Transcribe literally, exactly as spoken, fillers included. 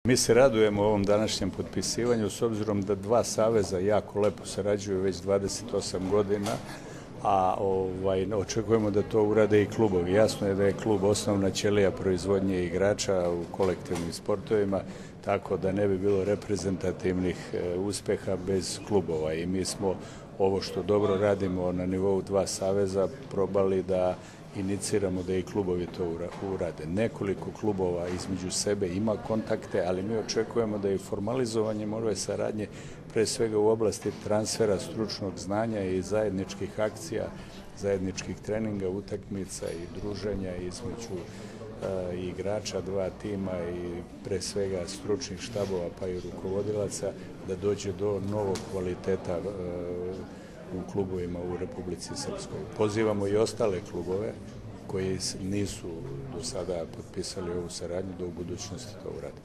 Mi se radujemo ovom današnjem potpisivanju s obzirom da dva saveza jako lepo sarađuju već dvadeset osam godina, a ovaj, očekujemo da to urade i klubovi. Jasno je da je klub osnovna ćelija proizvodnje igrača u kolektivnim sportovima, tako da ne bi bilo reprezentativnih e, uspeha bez klubova i mi smo ovo što dobro radimo na nivou dva saveza probali da iniciramo da i klubovi to urade. Nekoliko klubova između sebe ima kontakte, ali mi očekujemo da i formalizovanjem ove saradnje, pre svega u oblasti transfera stručnog znanja i zajedničkih akcija, zajedničkih treninga, utakmica i druženja između e, igrača dva tima i pre svega stručnih štabova pa i rukovodilaca, da dođe do novog kvaliteta e, u klubovima u Republici Srpskoj. Pozivamo i ostale klubove koji nisu do sada potpisali ovu saradnju da u budućnosti to urade.